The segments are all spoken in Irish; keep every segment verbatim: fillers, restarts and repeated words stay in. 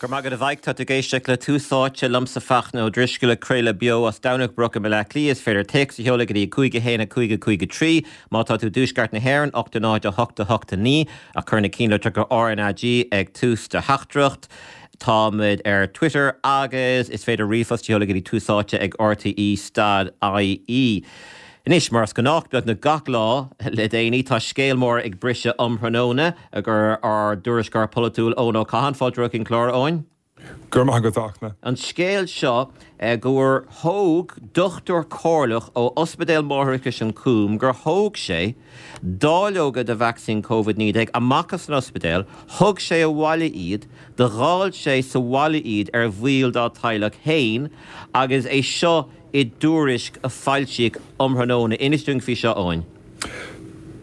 Go raibh maith agat a Mhaidhc tá tú ag éisteacht le Tús Áite liomsa Fachtna Ó Drisceoil ag craoladh beo as Domhnach Broc i mBaile Átha Cliath is féidir téacs a sheoladh go dtí cúig a haon a cúig a cúig a trí má tá tú i dtuaisceart na hÉireann ocht a náid a hocht a hocht a naoi ach cuir na ceannlitreacha RnaG ag tús do theachtaireacht. Táimid ar Twitter agus is féidir ríomhphost a sheoladh go dtí túsáite ag RTE stad IE. Anois mar is gnách beagnach gach lá le déanaí tá scéal mór ag briseadh um thráthnóna gur ár dtuairisceoir polaitiúil Eoin Ó Catháin fáilte chuig an clár Eoin. Gur maith go dachna. An scéal seo gur thóg dochtúir comhairleach ó Ospidéal Máithreachais an Cúm gur thóg sé dáileoga de vacsaín COVID naoi déag amach as an ospidéal, thug sé abhaile iad, do dháil sé sa bhaile iad ar bhaill dá teaghlach féin agus é seo i dtuairisc a foilsíodh um thráthnóna inis dúinn faoi seo Eoin.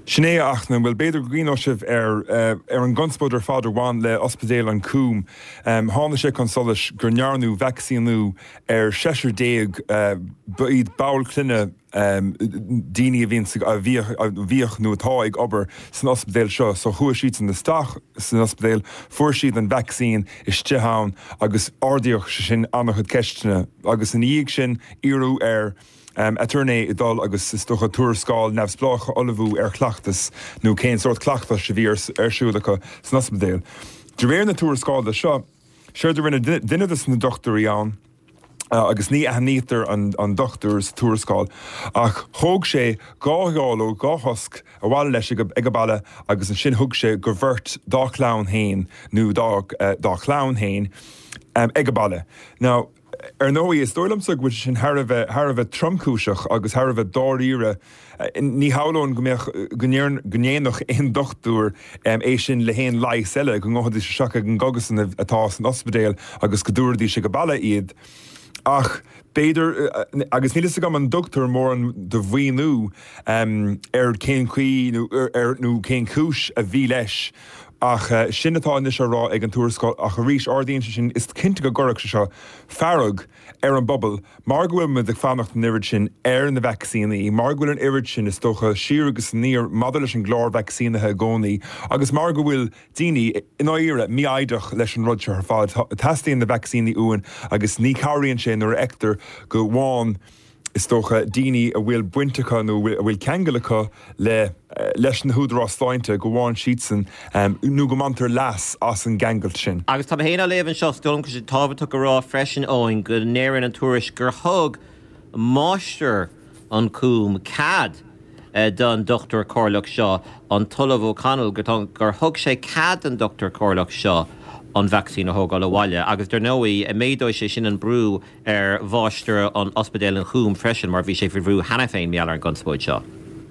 Sin é a Fhachtna bhuel b'fhéidir go gcuimhneoidh sibh ar ar an gconspóid ar fad a bhain le Ospidéal an Cúm. Tháinig sé chun solais go ndearnadh vacsaíniú ar seisear déag ba iad baill clainne daoine a bhíonn a bhíodh a bhíodh nó atá ag obair san ospidéal seo, so chuaigh siadsan isteach san ospidéal, fuair siad an vacsaín istigh ann agus ardaíodh sé sin an-chuid ceisteanna agus ina dhiaidh sin iarradh ar aturnae dul agus is dócha tuarascáil neamhspleách a ullmhú ar chleachtas nó cén sórt cleachtais a bhí ar siúl acu san ospidéal. De réir na tuarascála seo, séard a rinne duine de na dochtúirí ann, agus ní aithnítear an, an dochtúir sa tuarascáil ach thóg sé dhá dháileog dhá thosc abhaile leis ag an baile agus ansin thug sé go bheirt dá chlann féin nó dá, dá chlann féin um, ag an baile. Now, ar ndóigh is dóigh liomsa go bhfuil sin thar a bheith thar a bheith tromchúiseach agus thar a bheith dáiríre ní hamhlaidh go mbeadh go ndéanfadh aon dochtúir é sin le haon leigheas eile go ngabhfaidís isteach ag an gcógaslann atá san ospidéal agus go dtabharfaidís ag an baile iad. Ach b'fhéidir agus níl a fhios agam an dtugtar mórán de mhíniú ar cén chaoi nó ar nó cén chúis a bhí leis. Ach sin atá anois á rá ag an tuarascáil ach arís ardaíonn sé sin is cinnte go gcuirfeadh sé seo fearg ar an bpobal mar go bhfuil muid ag fanacht an oiread sin ar na vacsaíní, mar go bhfuil an oiread sin is dócha siar agus aniar maidir leis an gclár vacsaínithe i gcónaí agus mar go bhfuil daoine i ndáiríre mífhoighdeach leis an rud seo ar fad. Teastaíonn na vacsaíní uainn agus ní chabhraíonn sé nuair a fheictear go bhfaigheann is dócha daoine a bhfuil baint acu nó a bhfuil ceangal acu le leis na húdaráis sláinte go bhfaigheann siadsan nó go mbaintear leas as an gceangailt sin. Agus tá mé féin á léamh anseo is dóigh liom go bhfuil sé tábhachtach a rá freisin Eoin go ndeireann an tuairisc gur thug máistir an Cúm cead don dochtúir comhairleach seo an tOllamh O'Connell gur thug sé cead don dochtúir comhairleach seo an vacsaín a thógáil abhaile agus dar ndóigh méadóidh sé sin an brú ar mháistir an Ospidéal an Chúm freisin mar bhí sé faoi bhrú cheana féin mar gheall ar an gconspóid seo.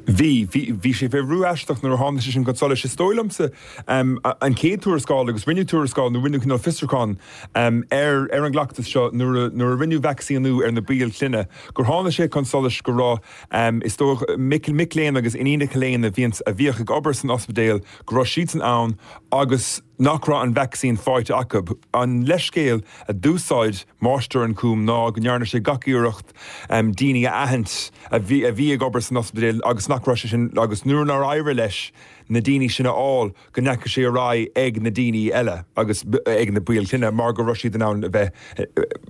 Bhí, bhí, bhí sé faoi bhrú aisteach nuair a tháinig sé sin chun solais. Is dóigh liomsa an chéad tuarascáil agus rinneadh tuarascáil nó rinneadh cineál fiosrúchán ar ar an gcleachtas seo nuair a nuair a rinneadh vacsaíniú ar na baill clainne gur tháinig sé chun solais go raibh is dóigh mic mic léinn agus iníonacha léinn a bhíonn a bhíodh ag obair san ospidéal go raibh siadsan ann agus nach raibh an vacsaín faighte acu. An leithscéal a d'úsáid máistir an Chúm ná go ndearna sé gach iarracht daoine a aithint a bhí a bhí ag obair san ospidéal agus nach raibh sé sin agus nuair nár éirigh leis na daoine sin a fháil go ndeachaigh sé ar aghaidh ag na daoine eile agus ag na baill clainne mar go raibh siad in ann a bheith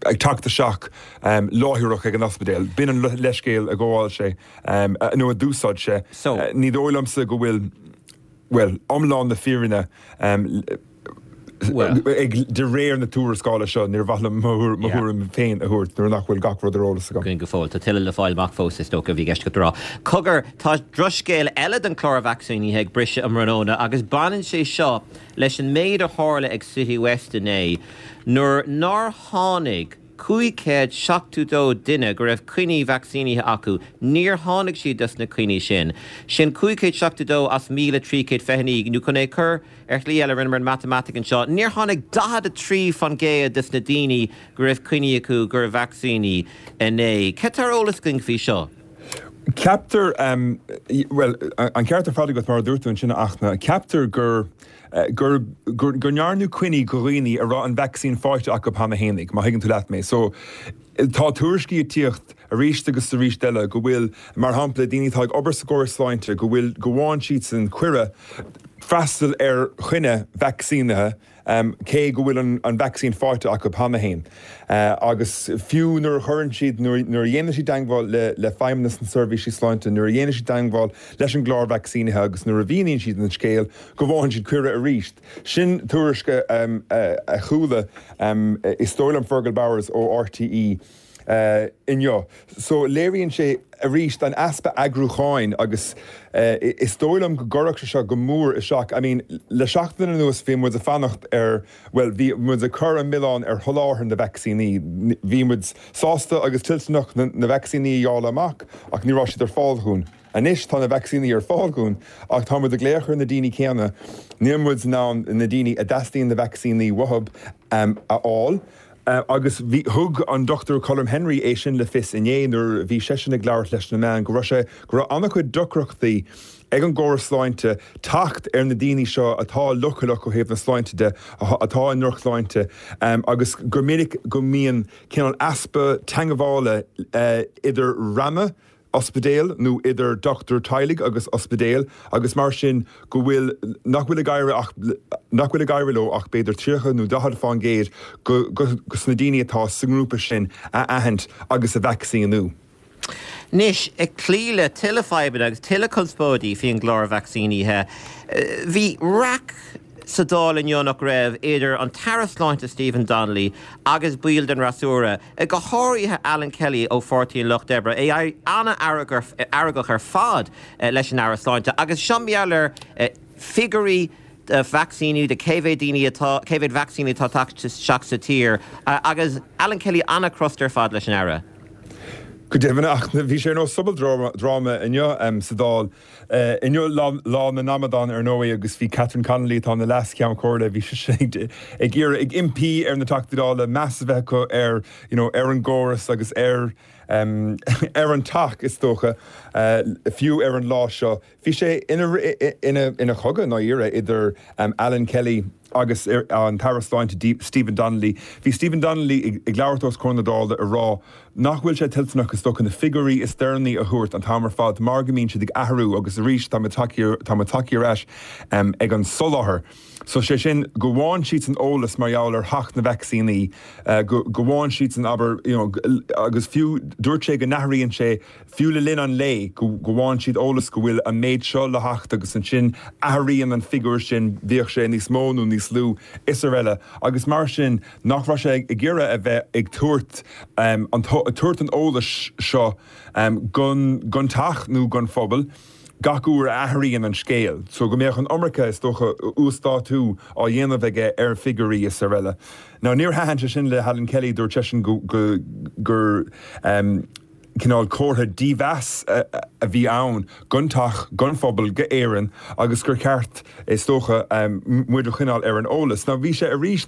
ag teacht isteach láithreach ag an ospidéal. B'in an leithscéal a ghabháil sé nó a d'úsáid sé. Ní dóigh liomsa go bhfuil bhuel, iomlán na fírinne ag de réir na tuarascála seo, níor mhaith liom mo thuairim féin a thabhairt nuair nach bhfuil gach rud ar eolas agam. Go fóill, tá tuilleadh le fáil amach fós is dócha a bhí i gceist agat a rá. Cogar, tá drochscéal eile don chlár vacsaínithe ag briseadh um thráthnóna agus baineann sé seo leis an méid a tharla ag Citywest inné nuair nár tháinig cúig chéad seachtó dó duine go raibh coinní vacsaínithe acu, níor tháinig siad dos na coinní sin. Sin cúig chéad seachtó dó as míle trí chéad fiche naoi, nó chun é a chur ar shlí eile, rinneamar an matamaitic anseo, níor tháinig daichead a trí fan gcéad des na daoine go raibh coinní acu gur vacsaínithe inné. Cad tá ar eolas againn faoi seo? Ceaptar, bhuel, an ceart ar fad agat mar a dúirt tú ansin a Fhachtna, ceaptar gur gur gur go ndearnadh coinní go dhaoine a raibh an vacsaín faighte acu cheana fhéinig, má thuigeann tú leat mé. So, tá tuairiscí ag tíocht arís agus arís eile go bhfuil, mar shampla, daoine atá ag obair sa gcóras sláinte, go bhfuil, go bhfaigheann siadsan cuireadh freastal ar choinne vacsaínithe, cé go bhfuil an, an vacsaín faighte acu cheana féin. Uh, agus fiú nuair a chuireann siad nuair a dhéanann siad teagmháil le, le feidhmeannas na seirbhísí sláinte, nuair a dhéanann siad teagmháil leis an gclár vacsaínithe agus nuair a mhíníonn siad an scéal go bhfaigheann siad cuireadh arís. Sin tuairisc um, a, a chuala um, is dóigh liom Fergal Bowers ó RTE uh, inniu. So léiríonn sé arís an easpa eagrúcháin agus uh, is dóigh liom go gcuirfeadh sé seo go mór isteach. I mean, le seachtain anuas bhí muid ag fanacht ar well bhí muid ag cur an milleán ar sholáthar na vacsaíní. Bhí muid sásta agus toilteanach na, na vacsaíní a fháil amach ach ní raibh siad ar fáil dúinn. Anois tá na vacsaíní ar fáil dúinn ach tá muid ag glaoch ar na daoine céanna, níl muid in ann na daoine a dteastaíonn na vacsaíní uathu um, a fháil. Uh, agus bhí thug an Dr. Colm Henry é sin le fios inné nuair bhí seisean ag labhairt leis na meáin go raibh sé go raibh an-chuid deacrachtaí ag an gcóras sláinte teacht ar na daoine seo atá leochaileach ó thaobh na sláinte de atá i ndrochshláinte um, agus gur minic go mbíonn cineál easpa teagmhála uh, idir ranna ospidéal nó idir dochtúir teaghlaigh agus ospidéal agus mar sin go bhfuil nach bhfuil ag éirí ach nach bhfuil ag éirí leo ach b'fhéidir tríocha nó daichead faoin gcéad go go na daoine atá sa ngrúpa sin a aithint agus a vacsaíniú. Anois ag cloí le tuilleadh fadhbanna agus tuilleadh conspóidí faoin gclár vacsaínithe. Bhí raic sa Dáil inniu nach raibh idir an tAire Sláinte Stephen Donnelly agus baill den fhreasúra, go háirithe Alan Kelly ó Pháirtí an Lucht Oibre é an-fheargach ar fad leis an Aire Sláinte, agus seo ar figiúirí vacsaíní de cé mhéad daoine atá cé mhéad vacsaíní atá tagtha sa tír agus Alan Kelly an-chrosta ar fad leis an Aire. Go deimhin ach bhí sé nó sobaldráma inniu um, sa Dáil. Uh, inniu lá, lá na n-amadán ar ndóigh agus bhí Catherine Connolly tá na Leas-Cheann Comhairle bhí sé ag iarraidh ag impí ar na Teachtaí Dála meas a bheith acu ar you know, ar an gcóras agus ar um, ar an teach is dócha uh, fiú ar an lá seo. Bhí sé ina, ina, ina chogadh dáiríre idir um, Alan Kelly agus an tAire Sláinte Stephen Donnelly. Bhí Stephen Donnelly ag labhairt os comhair na Dála ag rá nach bhfuil sé toilteanach is dócha na figiúirí is deireanaí a thabhairt an t-am ar fad mar go mbíonn siad ag athrú agus arís tá tá tagtha ar ais um, ag an soláthar. So sé sin go bhfaigheann siad san eolas mar gheall ar theacht na vacsaíní, uh, go bhfaigheann siad san aber you know, agus fiú dúirt sé go n-athraíonn sé fiú le linn an lae go bhfaigheann siad eolas go bhfuil an méid seo le theacht agus ansin athraíonn an figiúr sin bíodh sé níos mó nó níos lú is araile agus mar sin nach raibh sé ag iarraidh a bheith ag tabhairt um, an tabhairt an eolais seo um, don don teach nó don phobal. Gach uair a athraíonn an scéal, so go mbeadh an iomarca is dócha uasdátú á dhéanamh aige ar figiúirí is araile. Now níor thaitin sé sin le Alan Kelly dúirt seisean go, go, gur um, cineál comhartha dímheas a bhí ann don teach don phobal d'Éirinn agus gur ceart is dócha um, muid a choinneáil ar an eolas. Now bhí sé arís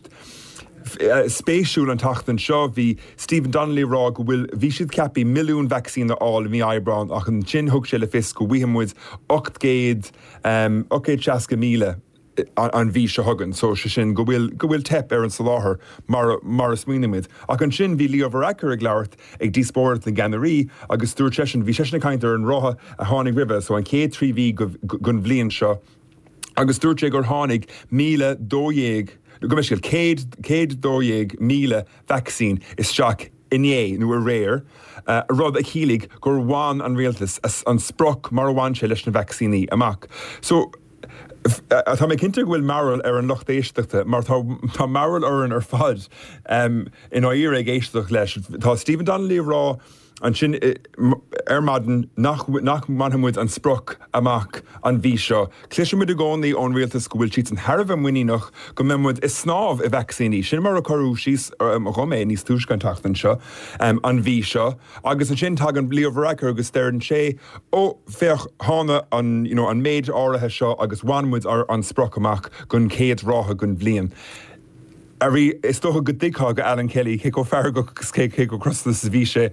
spéisiúil an tseachtain seo bhí Stephen Donnelly rá go bhfuil bhí siad ceaptha milliún vacsaín a fháil mí Aibreán ach ansin thug sé le fios go bhfaighidh muid ocht gcéad um, ocht gcéad seasca míle an mhí seo chugainn, so sé sin go bhfuil go bhfuil teip ar an soláthar mar mar a smaoinímid. Ach ansin bhí Leo Varadkar ag labhairt ag díospóireacht na gceannairí agus dúirt seisean bhí seisean ag caint ar an ráithe a tháinig roimhe, so an chéad trí mhí den bhliain seo. Agus dúirt sé gur tháinig míle dó dhéag go mbeidh céad céad dó dhéag míle vacsaín isteach inné nó aréir, uh, rud a chiallaigh gur bhain an rialtas an sprioc mar a bhain sé leis na vacsaíní amach. So Tá mé cinnte go bhfuil mearbhall ar an lucht éisteachta, mar tá mearbhall orainn ar fad um, in áir ag éisteacht leis. Tá Stephen Donnelly rá ansin ar maidin nach nach mbainfidh muid an sprioc amach an mhí seo. Cloisimid i gcónaí ón rialtas go bhfuil siad thar a bheith muiníneach go mbeidh muid ag snámh i vacsaíní. Sin mar a cuireadh síos dhom é níos túisce an tseachtain seo um, an mhí seo, agus ansin tagann Leo Varadkar agus deireann sé ó féach tháinig an, you know, an méid áirithe seo agus bhain muid an sprioc amach don chéad ráithe den bhliain. Arís is dócha go dtuigfeá do Alan Kelly cé chomh feargach agus cé cé chomh crosta is a bhí sé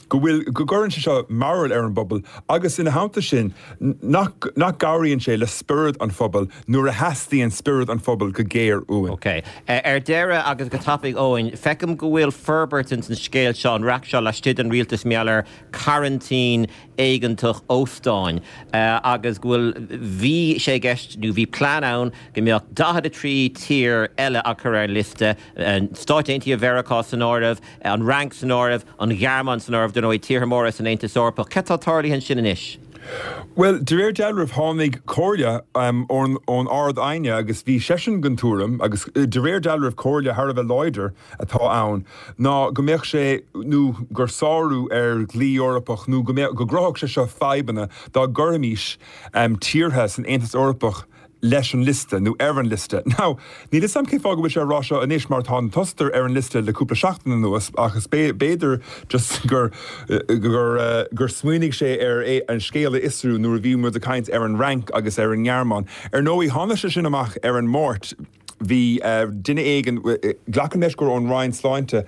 go bhfuil go gcuireann sé seo mearbhall ar an bpobal agus ina theannta sin nach nach gcabhraíonn sé le spiorad an phobail nuair a theastaíonn spiorad an phobail go géar uainn. Ok. Ar deireadh agus go tapaidh Eoin, feicim go bhfuil forbairt ins an scéal seo an raic seo laistigh den rialtas mar gheall ar choraintín éigeantach óstáin agus go bhfuil bhí sé i gceist nó bhí plean ann go mbeadh daichead a trí tír eile á cur ar an liosta, Stáit Aontaithe Mheiriceá san áireamh, an Fhrainc san áireamh, an Ghearmáin san áireamh, dar ndóigh tíortha móra san Aontas Eorpach. Cad tá tarlaithe ansin anois? Bhuel, de réir dealraimh tháinig comhairle ón ón Ard-Aighne agus bhí seisean den tuairim, agus de réir dealraimh comhairle thar a bheith láidir atá ann, ná go mbeadh sé nó gur sárú ar dhlí Eorpach nó go mbeadh go gcruthódh sé seo fadhbanna dá gcuirfimis tíortha san Aontas Eorpach leis an liosta nó ar an liosta. Now, níl fhios a'm cén fáth go bhfuil sé á rá seo anois mar tá an t-Ostair ar an liosta le cúpla seachtain anuas ach is b'fhéidir just gur gur gur smaoinigh sé ar é an scéal a fhiosrú nuair a bhí muid ag caint ar an Fhrainc agus ar an nGearmáin. Ar ndóigh, tháinig sé sin amach ar an Máirt. Bhí duine éigin, glacaim leis gur ón Roinn Sláinte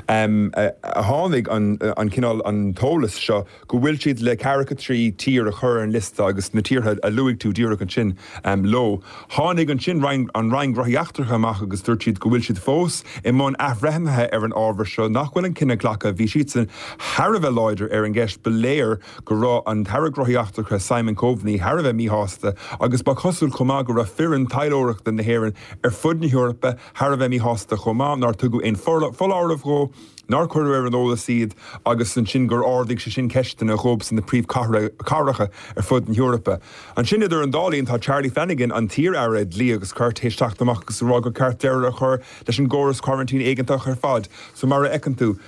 a tháinig an cineál, an t-eolas seo go bhfuil siad le ceathracha trí tír a chur ar an liosta agus na tíortha a luaigh tú díreach ansin leo. Tháinig ansin an Roinn Gnóthaí Eachtracha amach agus dúirt siad go bhfuil siad fós i mbun athbhreithnithe ar an ábhar seo, nach bhfuil an cinneadh glactha. Bhí siadsan thar a bheith láidir ar an gceist. Ba léir go raibh an tAire Gnóthaí Eachtracha Simon Coveney thar a bheith míshásta agus ba chosúil chomh maith go raibh foireann taidhleoireachta na hÉireann ar fud na hEorpa thar a bheith míshásta chomh maith nár tugadh aon foláireamh dhó, nár cuireadh ar an eolas iad agus ansin gur ardaigh sé sin ceisteanna dhóibh sna príomhchathracha ar fud na hEorpa. Ansin idir an dá linn tá Charlie Flanagan, an t-iar-aire dlí agus cirt, théis teacht amach agus a rá gur ceart deireadh a chur leis an gcóras coraintín éigeantach ar fad. So mar a fheiceann tú,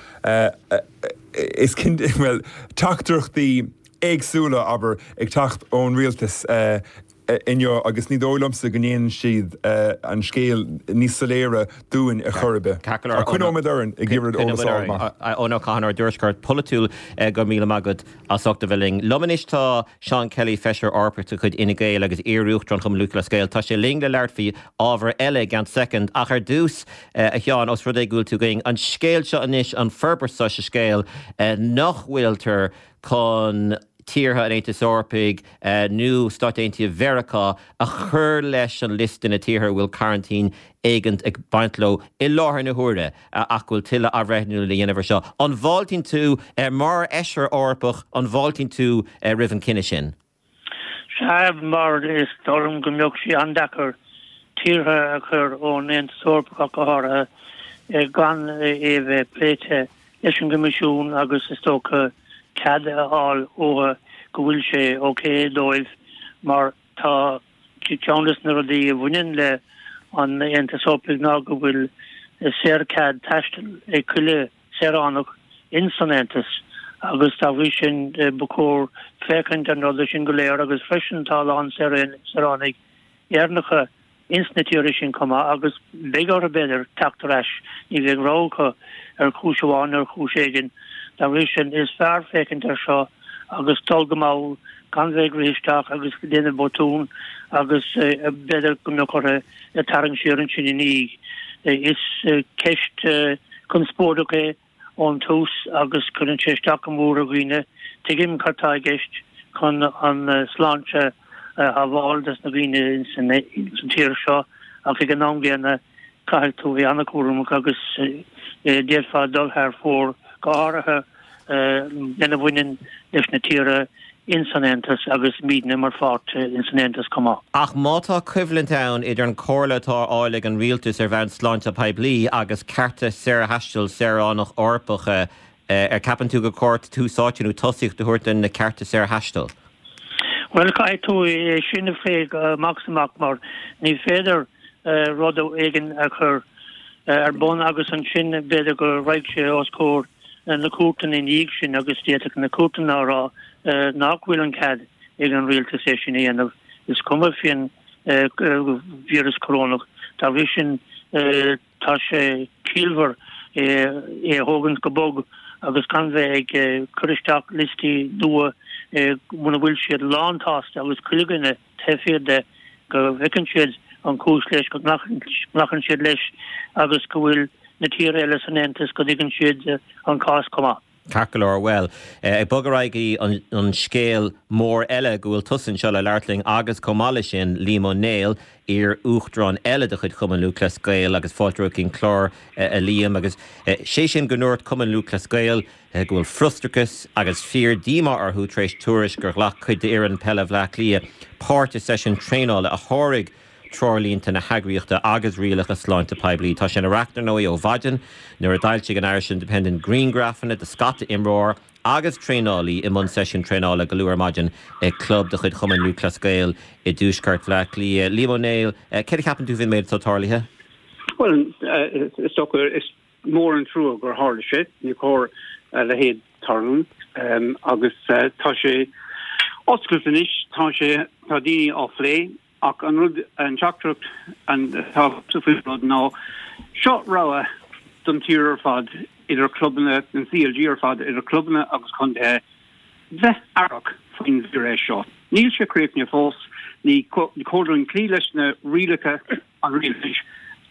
is cinnte, bhuel, teachtaireachtaí éagsúla, abair, ag teacht ón rialtas inniu agus ní dóigh liomsa go ndéanann siad an scéal níos soiléire dúinn ar chor ar bith. Ach coinneoimid orainn ag iarraidh eolas a fháil amach. Eoin Ó Catháin, ár dtuairisceoir polaitiúil, go raibh míle maith agat as ucht a bheith linn. Liom anois tá Seán Kelly, Feisire Eorpach de chuid Fhine Gael agus iar-Uachtarán Chumann Lúthchleas Gael. Tá sé linn le labhairt faoi ábhar eile i gceann soicind ach ar dtús, a Sheáin, os rud é go bhfuil tú againn, an scéal seo anois, an forbairt seo sa scéal nach bhfuiltear chun tíortha an Aontais Eorpaigh nó Stáit Aontaithe Mheiriceá a chur leis an liosta na tíortha a bhfuil coraintín éigeantach ag baint leo i láthair na huaire ach go bhfuil tuilleadh athbhreithniú le dhéanamh ar seo. An bhfáiltíonn tú, mar Fheisire Eorpach, an bhfáiltíonn tú roimh an cinneadh sin? Sea, mar is dóigh liom go mbeadh sé an-deacair tíortha a chur ón Aontas Eorpach ach go háirithe gan é a bheith pléite leis an gCoimisiún agus is dócha cead a fháil uathu go bhfuil sé ok dóibh mar tá ceann de na rudaí a bhaineann le an Aontas Eorpaigh ná go bhfuil saorchead taistil ag chuile saoránach in san Aontas agus dá bhrí sin ba chóir féachaint ar na rudaí sin go léir agus freisin tá a lán saoránaigh Éireannacha ins na tíortha sin chomh maith agus beidh orthu, b'fhéidir, teacht ar ais, ní bheidh rogha acu ar chúis amháin nó ar chúis éigin. Dá bhrí sin, is fearr féachaint air seo agus dul go mall, gan bheith ag rith isteach agus ag déanamh botún agus b'fhéidir go mbeadh orthu tarraingt siar ansin ina dhiaidh. Is ceist conspóideach é. ón tús agus cuireann sé isteach go mór ar dhaoine. Tuigim cad tá i gceist chun an sláinte a shábháil dos na daoine ins an tír seo ach ag an am gcéanna caithfidh tú bheith an-chúramach agus d'fhéadfá dul thar fóir, go háirithe lena bhaineann leis na tíortha ins an Aontas agus muidne mar pháirt ins an Aontas chomh maith. Ach má tá coimhlint ann idir an chomhairle atá á fháil ag an rialtas ar bhonn sláinte poiblí agus cearta saorthaistil saoránach Eorpach, ar ceapann tú gur chóir tús áite nó tosaíocht a thabhairt do na cearta saorthaistil? Bhuel, caithfidh tú é sin a phlé amach is amach mar ní féidir rud éigin a chur ar bun agus ansin b'fhéidir go raghaidh sé os comhair na cúirteanna ina dhiaidh sin agus d'fhéadfadh na cúirteanna a rá nach bhfuil an cead ag an rialtas é sin a dhéanamh, is cuma faoin víreas corónach. Dá bhrí sin, tá sé ciallmhar é a thógaint go bog agus gan bheith ag cur isteach liostaí nua muna bhfuil siad lánsásta agus chuile dhuine taobh thiar de, go bhfeiceann siad an chúis leis, go nglacann siad leis agus go bhfuil na tíortha eile san Aontas go dtuigeann siad an cás chomh maith. Ceart go leor bhuel, ag bogadh ar aghaidh go dtí an scéal mór eile go bhfuil tusa anseo le labhairt linn agus chomh maith leis sin Liam Ó Néill, iar-uachtarán eile de chuid Chumann Lúthchleas Gael agus fáilte romhat chuig an chlár a Liam agus sé sin go ndúirt Cumann Lúthchleas Gael go bhfuil frustrachas agus fíor díomá orthu tar éis tuairisc gur ghlac cuid d'fhoireann peile Bhaile Átha Cliath páirt i seisiún traenála a sháraigh treoirlínte na heagraíochta agus rialacha sláinte poiblí. Tá sé ina racht ar ndóigh ó mhaidin nuair a d'fhoilsigh an Irish Independent grianghrafanna de scata imreoir agus traenálaí i mbun seisiún traenála go luath ar maidin ag club de chuid Chumann Lúthchleas Gael i dtuaisceart Bhaile Átha Cliath. Liam Ó Néill, céard a cheapann tú faoin méid atá tarlaithe? Well, is dócha is mór an trua gur tharla sé, ní cóir a leithéid tarlú agus tá sé oscailte anois, tá sé tá daoine á phlé ach an rud an teachtaireacht atá faoin rud ná seo rogha don tír ar fad idir clubanna an CLG ar fad idir clubanna agus contaetha bheith aireach faoin víreas seo. Níl sé críochnaithe fós, ní cóir dúinn cloí leis na rialacha an rialtais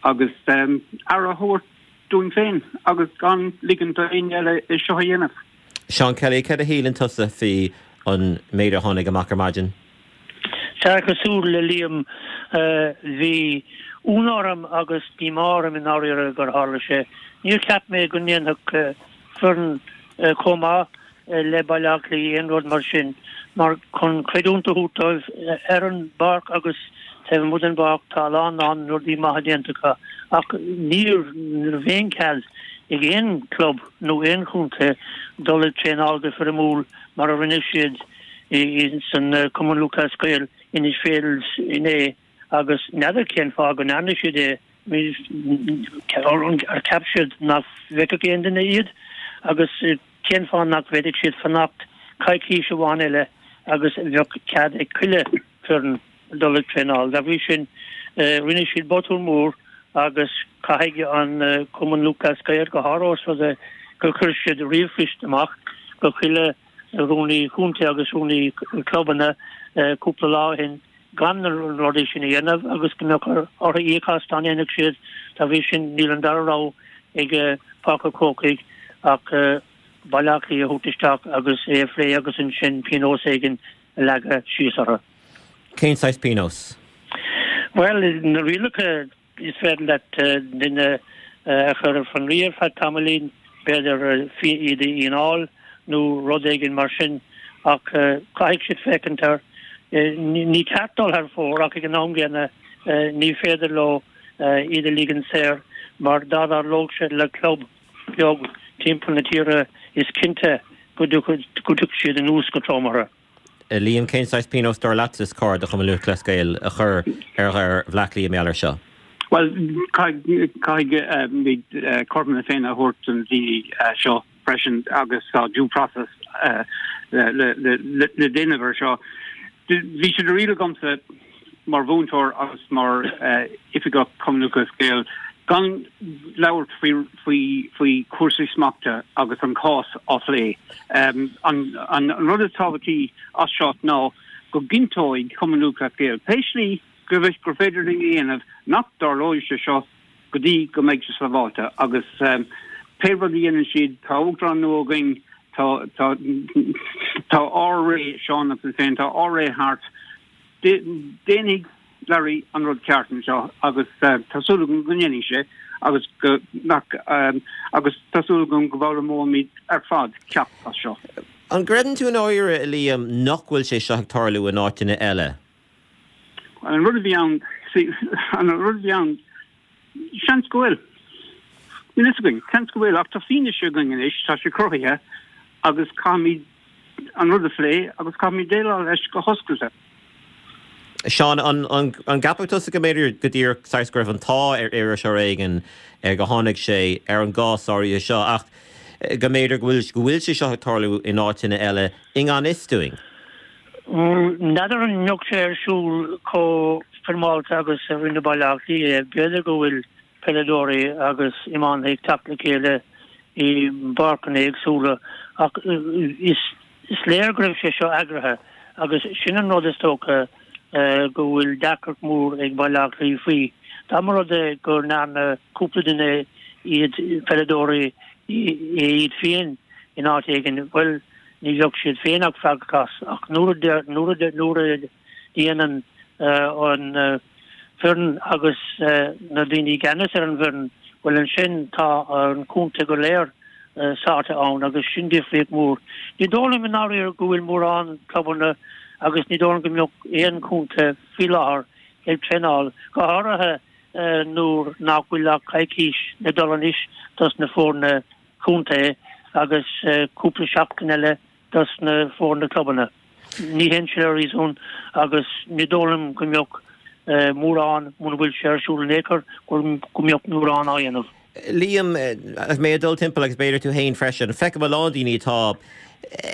agus um, aire a thabhairt dúinn féin agus gan ligean d'éinne eile é seo a dhéanamh. Seán Kelly, céard a shíleann tusa faoi an méid a tháinig amach ar maidin? Sea, cosúil le Liam, bhí ionadh orm agus díomá orm i ndáiríre gur tharla sé. Níor cheap mé go ndéanfadh foireann chomh maith le Baile Átha Cliath aon rud mar sin, mar chun creidiúint a thabhairt dóibh ar an bpáirc agus taobh amuigh den bpáirc tá a lán lán rudaí maithe déanta acu. Ach níor raibh aon chead ag aon chlub nó aon chontae dul ag traenáil go foirmiúil mar a rinne siad san Cumann Lúthchleas Gael Inis Féilte inné agus n'fheadar cén fáth go ndearna siad é, ar cheap siad nach bhfeicfeadh aon duine iad agus cén fáth nach bhféadfadh siad fanacht coicís amháin eile agus bheadh cead ag chuile foireann dul ag traenáil. Dá bhrí sin rinne siad botún mór agus caithfidh an Cumann Lúthchleas Gael go háirithe os rud é gur chuir siad ríomhphoist amach go chuile rúnaí contae agus rúnaí clubanna cúpla lá ó shin gan na rudaí sin a dhéanamh agus go mbeadh orthu íoc as dá ndéanfadh siad. Dá bhrí sin níl an dara rogha ag Páirc an Chrócaigh ach Baile Átha Cliath a thabhairt isteach agus é a phlé agus ansin pionós éigin a leagadh síos orthu. Cén saghas pionós? Bhuel, na rialacha is féidir leat duine a chur ar fionraí ar feadh tamaillín, b'fhéidir iad a fhíneáil nó rud éigin mar sin ach caithfidh siad féachaint air. Ní ceart dul thar fóir ach ag an am gcéanna ní féidir leo iad a ligean saor mar dá dtarlódh sé le club beag timpeall na tíre is cinnte go dtiocfadh siad anuas go trom orthu. Liam, cén saghas pionós dar leatsa is cóir do Chumann Lúthchleas Gael a chur ar Bhaile Átha Cliath mar gheall air seo? Bhuel, caithfidh cothrom na Féinne a thabhairt don daoine seo freisin agus tá due process le déanamh ar seo. Bhí sé de riail agamsa mar mhúinteoir agus mar oifigeach Chumann Lúthchleas Gael gan labhairt faoi faoi chúrsaí smachta agus an cás á phlé. An rud is tábhachtaí as seo ná go gcinnteoidh Cumann Lúthchleas Gael pé slí gur féidir linn a dhéanamh nach dtarlóidh sé seo go dtí go mbeidh sé sábháilte agus pé rud a dhéanann siad, tá uachtarán nua againn, tá tá tá ár ré, Seán agus mé féin, tá ár ré thart. Déanfaidh Larry an rud ceart anseo agus tá súil agam go ndéanfaidh sé agus go nach agus tá súil agam go bhfoghlaimeoimid ar fad ceacht as seo. An gcreideann tú i ndáiríre, a Liam, nach bhfuil sé seo ag tarlú in áiteanna eile? An rud a bhí ann, an rud a bhí ann, seans go bhfuil. Níl fhios againn, seans go bhfuil, ach tá fianaise againn anois, tá sé cruthaithe agus caithfimid an rud a phlé agus caithfimid déileáil leis go hoscailte. Seán, an an gceapann tusa go mb'fhéidir go díreach saghas go raibh an t-ádh ar iriseoir éigin go tháinig sé ar an gcás áirithe seo ach go mb'fhéidir go bhfuil go bhfuil sé seo ag tarlú in áiteanna eile i ngan fhios dúinn? N'fheadar an mbeadh sé ar siúl chomh foirmeálta agus a rinne Baile Átha Cliath é. B'fhéidir go bhfuil peileadóirí agus iománaithe ag teacht le chéile i bpáirceanna éagsúla ach is léir go raibh sé seo eagraithe agus sin an rud is dócha go bhfuil deacracht mór ag Baile Átha Cliath faoi. Dá mba rud é go ndearna cúpla duine iad, peileadóirí, iad féin in áit éigin, bhuel, ní bheadh siad féin ach freagrach as, ach nuair a nuair a nuair a dhéanann an foireann agus na daoine i gceannas ar an bhfoireann, bhuel ansin tá an contae go léir sáite ann agus sin difríocht mhór. Ní dóigh liom i ndáiríre go bhfuil mórán clubanna agus ní dóigh liom go mbeadh aon chontae faoi láthair ag traenáil, go háirithe nuair nach bhfuil ach coicís le dul anois dos na foirne contae agus cúpla seachtain eile dos na foirne clubanna. Ní théann sé le réasún agus ní dóigh liom go mbeadh mórán, muna bhfuil sé ar siúl in aon chor, go mbeadh mórán á dhéanamh. Liam, agus mé ag dul timpeall agus b'fhéidir tú féin freisin, feicim a lán daoine atá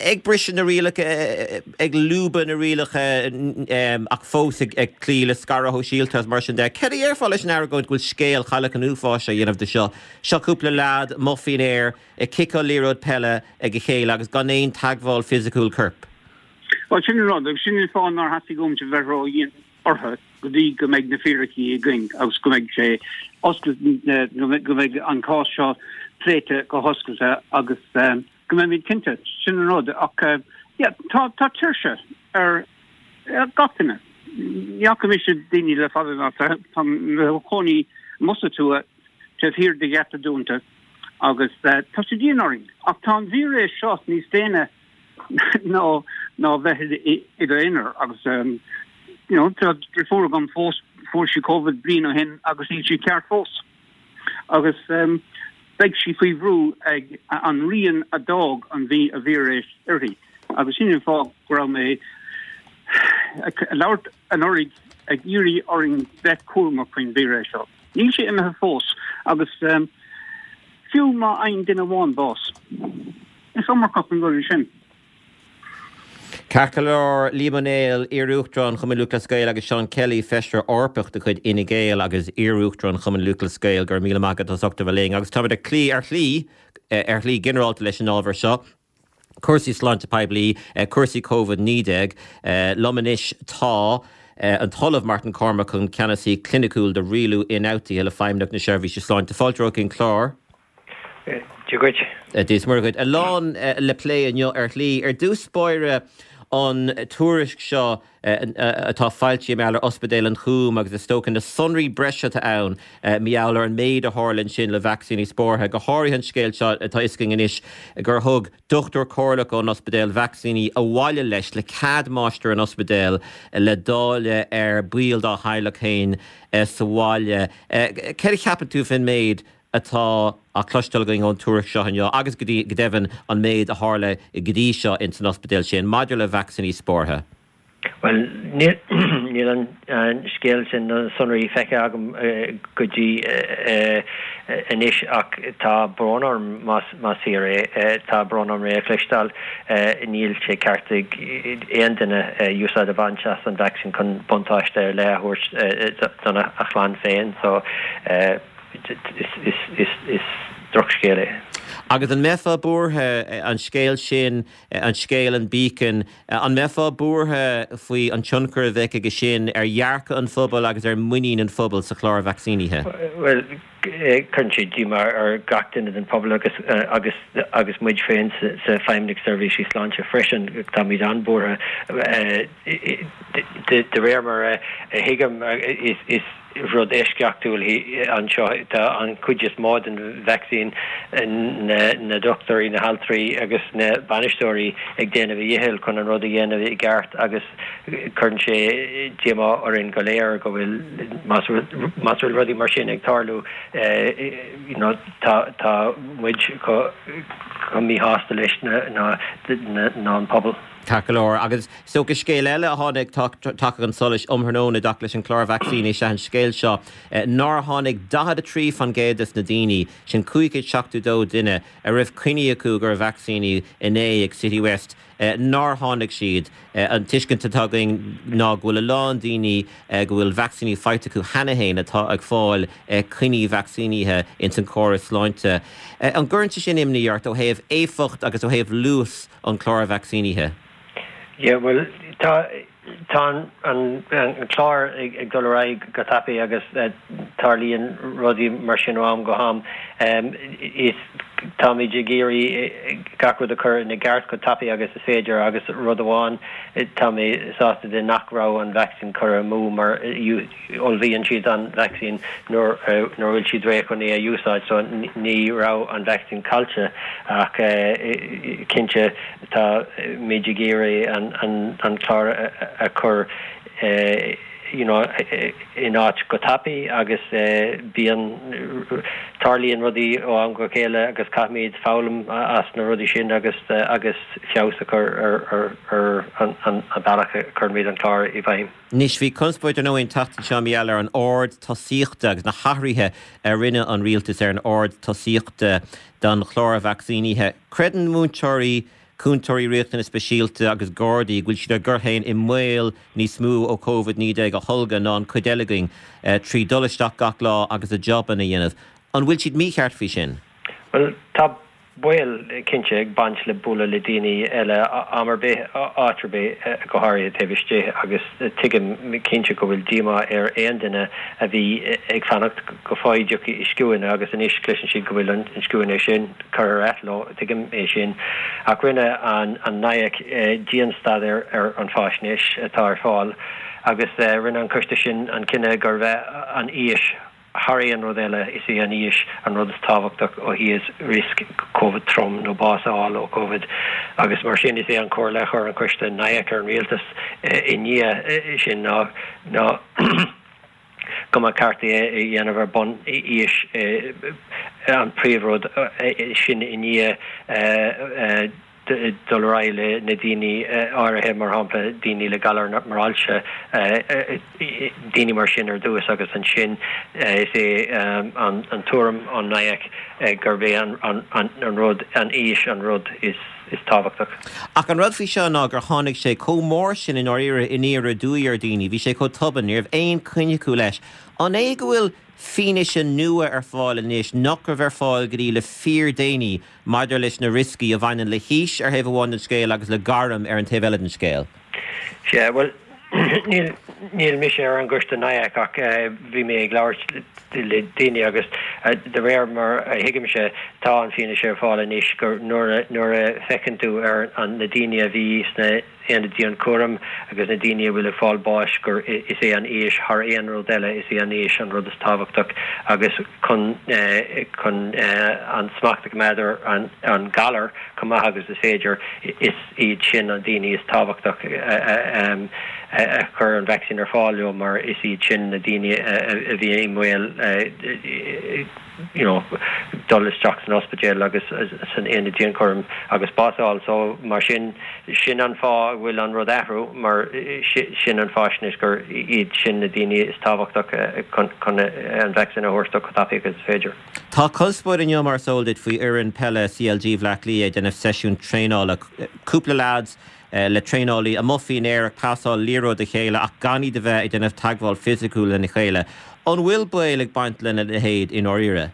ag briseadh na rialacha, ag lúbadh na rialacha ach fós ag cloí le scaradh shóisialta agus mar sin de. Céard a dhéarfá leis an argóint go bhfuil scéal Chailleach an Uafáis á dhéanamh de seo? Seo cúpla leaid amuigh faoin aer ag ciceáil liathróid peile ag a chéile agus gan aon teagmháil fisiciúil coirp. Bhuel, sin an rud, agus sin an fáth nár theastaigh uaimse bheith ró-dhian orthu go dtí go mbeidh na fíricí againn agus go mbeidh sé oscailte, go mbeidh an cás seo pléite go hoscailte agus go mbeimid cinnte. Sin an rud. Ach yeah, tá tá tuirse ar gach duine. Ní fhaca mise daoine le fada ná tá mo chónaí amuigh sa tuath taobh thiar de gheata dúnta agus tá sé dian orainn. Ach tá an víreas seo níos déine ná ná bheith i d'aonar agus you know, tá deirfiúr agam fós fuair sí Covid bliain ó shin agus níl sí ceart fós. Agus um, beidh sí faoi bhrú ag an rian a d'fhág an víreas uirthi. Agus sin an fáth go raibh mé ag labhairt anuraidh ag iarraidh orainn bheith cúramach faoin víreas seo. Níl sé imithe fós agus um, fiú má fhaigheann duine amháin bás. Is iomarcach an rud é sin. Ceart go leor, Liam Ó Néill, iar-Uachtarán Chumann Lúthchleas Gael agus Seán Kelly, Feisire Eorpach de chuid Fhine Gael agus iar-Uachtarán Chumann Lúthchleas Gael, go raibh míle maith agat as ucht a bheith linn. Agus táimid ar chlí ar shlí ar shlí ginearálta leis an ábhar seo. Cúrsaí sláinte poiblí, cúrsaí Covid naoi déag. Liom anois tá an tOllamh Martin Cormack, an Ceannasaí Cliniciúil do Rialú Ionfhabhtuithe le Feidhmeannacht na Seirbhíse Sláinte. Fáilte romhat chuig an chlár. Dia dhuit. Dia is Muire dhuit. A lán le plé inniu ar shlí. Ar dtús báire an tuairisc seo atá foilsithe mar gheall ar Ospidéal an Chúim agus is dócha na sonraí breise atá ann mar gheall ar an méid a tharla ansin le vacsaíní spártha, go háirithe an scéal seo atá fhios againn anois gur thug dochtúir comhairleach ón ospidéal vacsaíní abhaile leis le cead máistir an ospidéil le dáileadh ar bhaill dá theaghlach féin sa bhaile. Céard a cheapann tú faoin méid atá á chloisteáil againn ón tuairisc seo inniu agus go dtí, go deimhin, an méid a tharla go dtí seo ins an ospidéal sin maidir le vacsaíní spártha? Bhuel, níl, níl an scéal sin, na sonraí feicthe agam go dtí anois ach tá brón orm más, más fíor é. Tá brón orm é a chloisteáil. Níl sé ceart ag aon duine úsáid a bhaint as an vacsaín chun buntáiste ar leith a thabhairt dona chlann féin. So, Is drochscéal é. Agus an mbeifeá buartha, an scéal sin, an scéal an Beacon, an mbeifeá buartha faoi an tionchar a bheadh aige sin ar dhearcadh an phobail agus ar mhuinín an phobail sa chlár vacsaínithe? Bhuel, cuireann sé díomá ar gach duine den phobal agus agus agus muid féin sa Feidhmeannacht Seirbhísí Sláinte freisin, táimid an-bhuartha. De réir mar a thuigim, is rud eisceachtúil anseo. Tá an chuid is mó den vacsaín, na dochtúirí, na haltraí agus na bainisteoirí ag déanamh a dhichill chun an rud a dhéanamh i gceart agus cuireann sé díomá orainn go léir go bhfuil, más bhfuil rudaí mar sin ag tarlú, you know, tá tá muid chomh míshásta leis ná an pobal. Ceart go leor. Agus is dócha scéal eile a tháinig tagtha chun solais um thráthnóna i dtaca leis an chlár vacsaíní is ea an scéal seo nár tháinig daichead a trí faoin gcéad des na daoine, sin cúig chéad seachtó dó duine, a raibh coinní acu gur vacsaíníodh inné ag Citywest, nár tháinig siad. An tuiscint atá againn ná go bhfuil a lán daoine go bhfuil vacsaíní faighte acu cheana féin atá ag fáil coinní vacsaínithe ins an córas sláinte. An gcuireann sé sin imní ort ó thaobh éifeacht agus ó thaobh luas an chláir vacsaínithe? Yeah, bhuel, tá tá an an clár ag dul ar aghaidh go tapaidh agus tarlaíonn rudaí mar sin ó am go ham. Is Táimid ag iarraidh gach rud a chur ina gceart chomh tapaidh agus is féidir agus rud amháin tá mé sásta de nach raibh an vacsaín curtha amú mar ullmhaíonn siad an vacsaín nuair nuair a bhfuil siad réidh chun é a úsáid so ní raibh an vacsaín caillte ach cinnte táimid ag iarraidh an an an clár a chur you know, in áit go tapaidh agus bíonn, tarlaíonn rudaí ó am go chéile agus caithfimid foghlaim as na rudaí sin agus agus feabhas a chur ar ar an an bealach a chuirimid an clár i bhfeidhm. Anois, bhí conspóid ar ndóigh an tseachtain seo mar gheall ar an ord tosaíochta agus na hathruithe a rinne an rialtas ar an ord tosaíochta don chlár vacsaínithe. Creideann múinteoirí, cúntóirí riachtanas speisialta agus Gardaí go bhfuil siad á gcur féin i mbaol níos mó ó Covid naoi déag a tholgadh ná an chuid eile againn trí dul isteach gach lá agus a jabanna a dhéanamh. An bhfuil siad mícheart faoi sin? Bhuel, tá baol cinnte ag baint le bualadh le daoine eile am ar bith, áit ar bith, go háirithe taobh istigh agus tuigim cinnte go bhfuil díomá ar aon duine a bhí ag fanacht go bhfaighidh scuaine agus anois cloiseann siad go bhfuil an scuaine sin curtha ar athló, tuigim é sin. Ach rinne an NIAC dianstaidéar ar an bhfaisnéis atá ar fáil agus rinne an coiste sin an cinneadh gurbh é an aois thar aon rud eile, is é an aois an rud is tábhachtach ó thaobh riosca Covid trom nó bás a fháil ó Covid agus mar sin is é an chomhairle a chuir an coiste NIAC ar an rialtas i ndiaidh sin ná ná go mba cheart é a dhéanamh ar bun aois an príomhrud sin i ndiaidh dul ar aghaidh le na daoine áirithe, mar shampla daoine le galar mar ailse, daoine mar sin ar dtús agus ansin is é an tuairim ón NIAC gurb é an rud, an aois an rud is is tábhachtach. Ach an rud faoi seo ná gur tháinig sé chomh mór sin i ndáiríre aniar aduaidh ar dhaoine, bhí sé chomh tobann, ní raibh aon choinne acu leis. An é go bhfuil fianaise nua ar fáil anois nach raibh ar fáil go dtí le fíordhéanaí maidir leis na rioscaí a bhaineann le haois ar thaobh amháin den scéal agus le gairm ar an taobh eile den scéal? Sea, bhuel, níl, níl mise ar an gcoiste NIAC ach bhí mé ag labhairt le daoine agus de réir mar a thuigimse tá an fianaise ar fáil anois gur nuair a, nuair a feiceann tú ar an, na daoine a bhí sna haonaid dianchúraim agus na daoine a bhfuil ag fáil báis gur is é an aois thar aon rud eile, is é an aois an rud is tábhachtach agus chun, chun an smacht a choimeád ar an, an galar chomh maith agus is féidir, is iad sin an daoine is tábhachtach a chur an vacsaín ar fáil leo mar is iad sin na daoine a bhí i mbaol you know dul isteach san ospidéal agus san aonad dianchúraim agus bás a fháil. So mar sin, sin an fáth a bhfuil an rud athrú mar sin an fáisnéis gur iad sin na daoine is tábhachtach chun chun an vacsaín a thabhairt dó chomh tapaidh agus is féidir. Tá conspóid inniu mar is eol duit faoi fhoireann peile C L G Bhaile Átha Cliath ag déanamh seisiún traenála. Cúpla leaids le traenálaí amuigh faoin aer ag pasáil liathróid a chéile ach gan iad a bheith ag déanamh teagmháil fisiciúil lena chéile. An bhfuil baol ag baint lena leithéid i ndáiríre?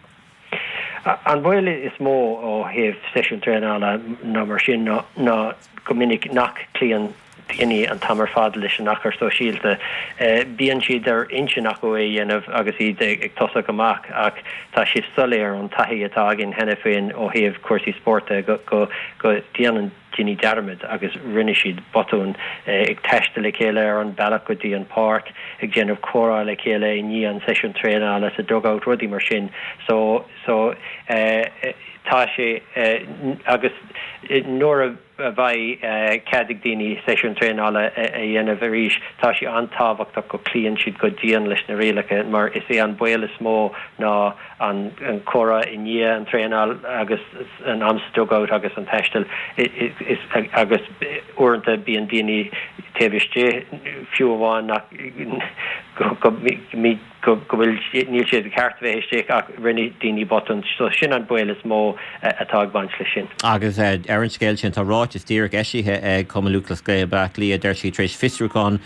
An baol is mó ó thaobh seisiún traenála ná mar sin ná go minic nach gcloíonn daoine an t-am ar fad leis an achar sóisialta. Bíonn siad ar intinn acu é a dhéanamh agus iad ag tosach amach ach tá sé soiléir ón taithí atá againn cheana féin ó thaobh cúrsaí spóirt de go ndéanann daoine dearmad agus rinne siad botún ag taisteal le chéile ar an bealach go dtí an páirc, ag déanamh comhrá le chéile i ndiaidh an seisiún traenála sa dugout, rudaí mar sin. So, so tá sé agus nuair a a bheidh cead ag daoine seisiún traenála a dhéanamh arís, tá sé an-tábhachtach go gcloíonn siad go dian leis na rialacha mar is é an baol is mó ná an comhrá i ndiaidh an traenáil agus an am sa dugout agus an taisteal agus uaireanta bíonn daoine taobh istigh fiú amháin nach go go bhfuil, níl siad ceart a bheith istigh ach rinne daoine botún so sin an baol is mó atá ag baint leis sin. Agus ar an scéal sin, tá ráiteas díreach eisithe ag Cumann Lúthchleas Gael Baile Átha Cliath, deir siad tar éis fiosrúchán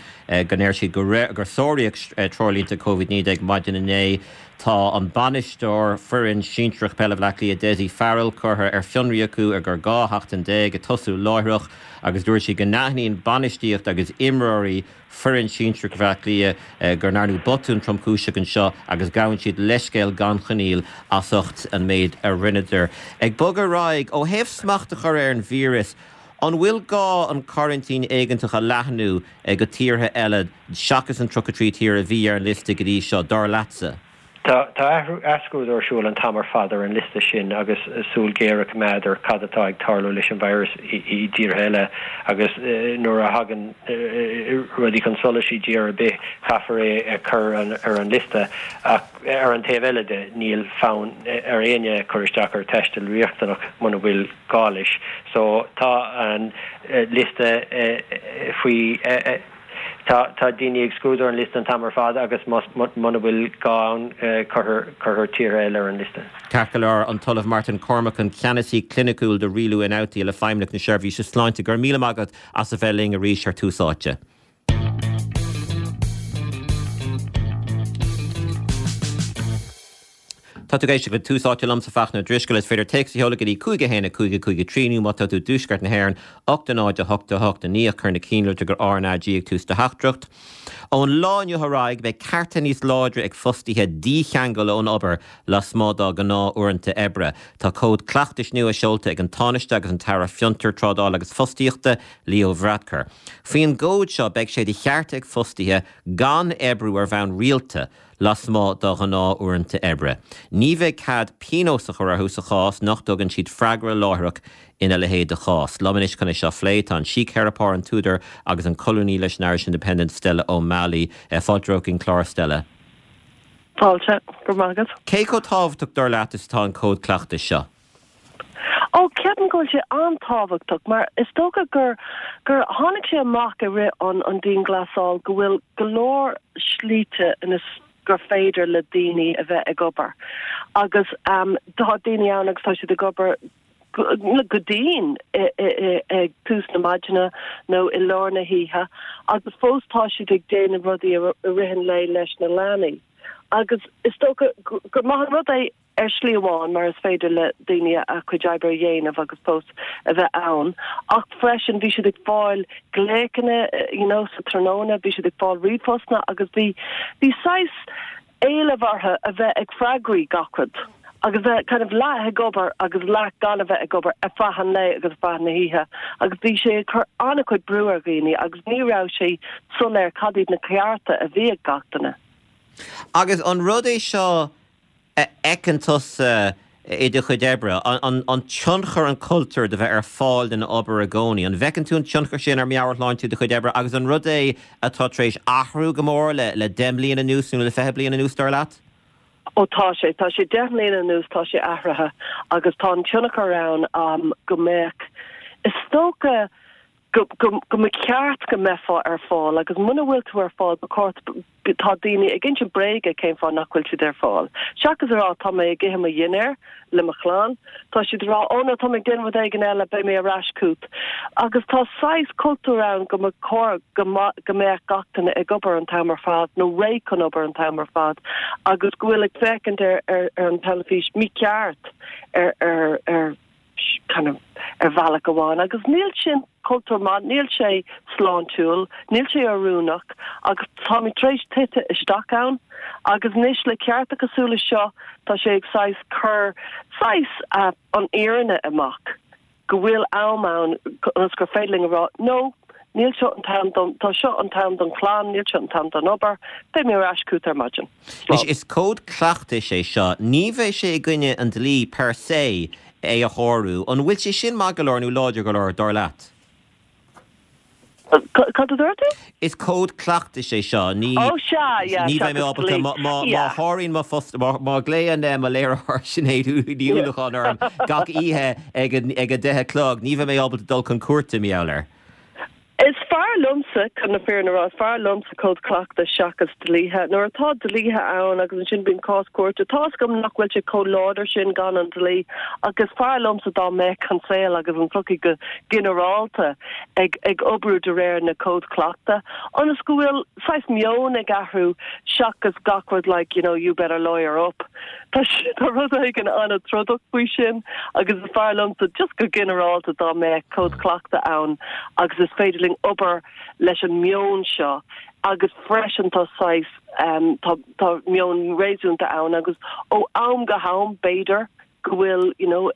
go ndeir siad gur sáraíodh treoirlínte Covid naoi déag maidin inné. Tá an bainisteoir foireann sinsearach peile Bhaile Átha Cliath, Dessie Farrell, curtha ar fionraí acu ar feadh dhá sheachtain déag, ag tosú láithreach, agus dúirt siad go n-aithníonn bainistíocht agus imreoirí foireann sinsearach Bhaile Átha Cliath go ndearnadh botún tromchúiseach anseo agus gabhann siad leithscéal gan choinníoll as ucht an méid a rinneadar. Ag bogadh ar aghaidh, ó thaobh smacht a chur ar an víreas, an bhfuil gá an coraintín éigeantach a leathnú go tíortha eile seachas an tríocha trí tír a bhí ar an liosta go dtí seo, dar leatsa? Tá athscrúdú ar siúl an t-am ar fad ar an liosta sin agus súil ghéar á coimeád ar cad atá ag tarlú leis an víreas i dtíortha eile agus nuair a thagann rudaí chun solais i dtír ar bith caithfear é a chur ar an liosta. Ach ar an taobh eile de níl fonn ar éinne cur isteach ar taisteal riachtanach muna bhfuil gá leis. So tá an liosta faoi. Tá tá daoine ag scrúdú an liosta an t-am ar fad agus muna bhfuil gá ann cuirfear tíortha eile ar an liosta. Ceart go leor, an tOllamh Martin Cormican, Ceannasaí Cliniciúil do Rialú Ionfhabhtaí le Feidhmeannacht na Seirbhíse Sláinte, go raibh míle maith agat as a bheith linn arís ar Tús Áite. Tá tú ag éisteacht le Tús Áite liomsa Fachtna Ó Drisceoil. Is féidir téacs a sheoladh go dtí cúig a haon a cúig a cúig a trí nó má tá tú i dtuaisceart na hÉireann, ocht a náid a hocht a hocht a naoi ach cuir na cinnlitreacha R na G ag tús do theachtaireacht. Ón lá inniu ar aghaidh beidh cearta níos láidre ag fostaithe dícheangal ón obair lasmuigh dá ngnáth-uaireanta oibre. Tá cód cleachtais nua seolta ag an Tánaiste agus an tAire Fiontar, Trádála agus Fostaíochta, Leo Varadkar. Faoin gcód seo beidh sé de cheart ag fostaithe gan oibriú ar bhonn rialta lasmuigh dá ngnáth-uaireanta oibre. Ní bheidh cead pionós a chur orthu sa chás nach dtugann siad freagra láithreach ina leithéid de chás. Liom anois chun é seo a phlé tá an síctheiripeoir, an t-údar agus an colúnaí leis an Irish Independent, Stella O'Malley. Fáilte romhat chuig an clár, Stella. Fáilte, go raibh maith agat. Cé chomh tábhachtach dar leat is atá an cód cleachtais seo? Ó, ceapaim go bhfuil sé an-tábhachtach mar is dócha gur gur tháinig sé amach i rith an an dianghlasáil go bhfuil go leor slite ina gur féidir le daoine a bheith ag obair agus um, tá daoine ann agus tá siad ag obair go dian ag tús na maidine nó i lár na hoíche agus fós tá siad ag déanamh rudaí i rith an lae leis na leanaí. Agus is dócha gur maith an rud é ar shlí amháin mar is féidir le daoine a cuid oibre a dhéanamh agus fós a bheith ann. Ach freisin bhí siad ag fáil glaochanna you know, sa tráthnóna, bhí siad ag fáil ríomhphostanna agus bhí bhí saghas éileamh orthu a bheith ag freagraí gach rud agus bheith kind of leath ag obair agus leath gan a bheith ag obair ar feadh an lae agus ar feadh na hoíche agus bhí sé ag cur an-chuid brú ar dhaoine agus ní raibh sé soiléir cad iad na cearta a bhí ag gach duine. Agus an rud é seo a fheiceann tusa i do chuid oibre, an tionchar an cultúr de bheith ar fáil don obair i gcónaí, an bhfeiceann tú an tionchar sin ar mheabhairshláinte do chuid oibre agus an rud é atá tar éis athrú go mór le le deich mbliana anuas nó le fiche bliain anuas, dar leat? Ó tá sé, tá sé deich mbliana anuas tá sé athraithe agus tá an tionchar ann go mbeadh, is dócha, go go go mba cheart go mbeifeá ar fáil agus muna bhfuil tú ar fáil ba chóir tá daoine ag insint bréige cén fáth nach bhfuil siad ar fáil. Seachas a rá tá mé ag ithe mo dhinnéar le mo chlann, tá siad ag rá ó no tá mé ag déanamh rud éigin eile beidh mé ar ais chugat. Agus tá saghas cultúr ann go mba chóir go go mbeadh gach duine ag obair an t-am ar fad nó réidh chun obair an t-am ar fad agus go bhfuil ag féachaint ar ar ar an teilifís mícheart ar ar ar kind of ar bhealach amháin agus níl sin cultúr maith, níl sé sláintiúil, níl sé oiriúnach agus táimid tar éis tite isteach ann agus anois le cearta cosúil le seo tá sé ag saghas cur saghas an fhírinne amach go bhfuil am ann ionas gur féidir linn a rá no Níl seo an t-am don, tá seo an t-am don chlann, níl seo an t-am don obair, beidh mé ar ais chugat ar maidin. Anois, is cód cleachtais é seo, ní bheidh sé i gcoinne an dlí per se é a shárú. An bhfuil sé sin maith go leor nó láidir go leor, dar leat? Cad a dúirt tú? Is cód cleachtais é seo, ní, Ó sea, yeah, ní bheidh mé seachas ábalta, dlí. má, má, má Yeah. sháraíonn mo phost, má, má ghlaonn mo léiritheoir Sinéad Ní Yeah. Uallacháin orm gach oíche ag a, ag a deich a chlog, ní bheidh mé ábalta dul chun cúirte, mar gheall air. Is fearr liomsa, chun na fírinne a rá, is fearr liomsa cód cleachtais seachas dlíthe. Nuair atá dlíthe ann agus ansin bíonn cás cúirte, tá fhios agam nach bhfuil sé chomh láidir sin gan an dlí, ach is fearr liomsa dá mbeadh an saol agus an tsochaí go ginearálta ag ag oibriú de réir na cód cleachta, ionas go bhfuil saghas meon ag athrú seachas gach rud like, you know, you better lawyer up. Tá tá rud éigin an-trodach faoi sin agus is fearr liomsa just go ginearálta dá mbeadh cód cleachta ann agus is féidir linn obair leis an meon seo agus freisin tá saghas um, tá, tá meon réasúnta ann agus ó am go ham b'fhéidir go bhfuil you know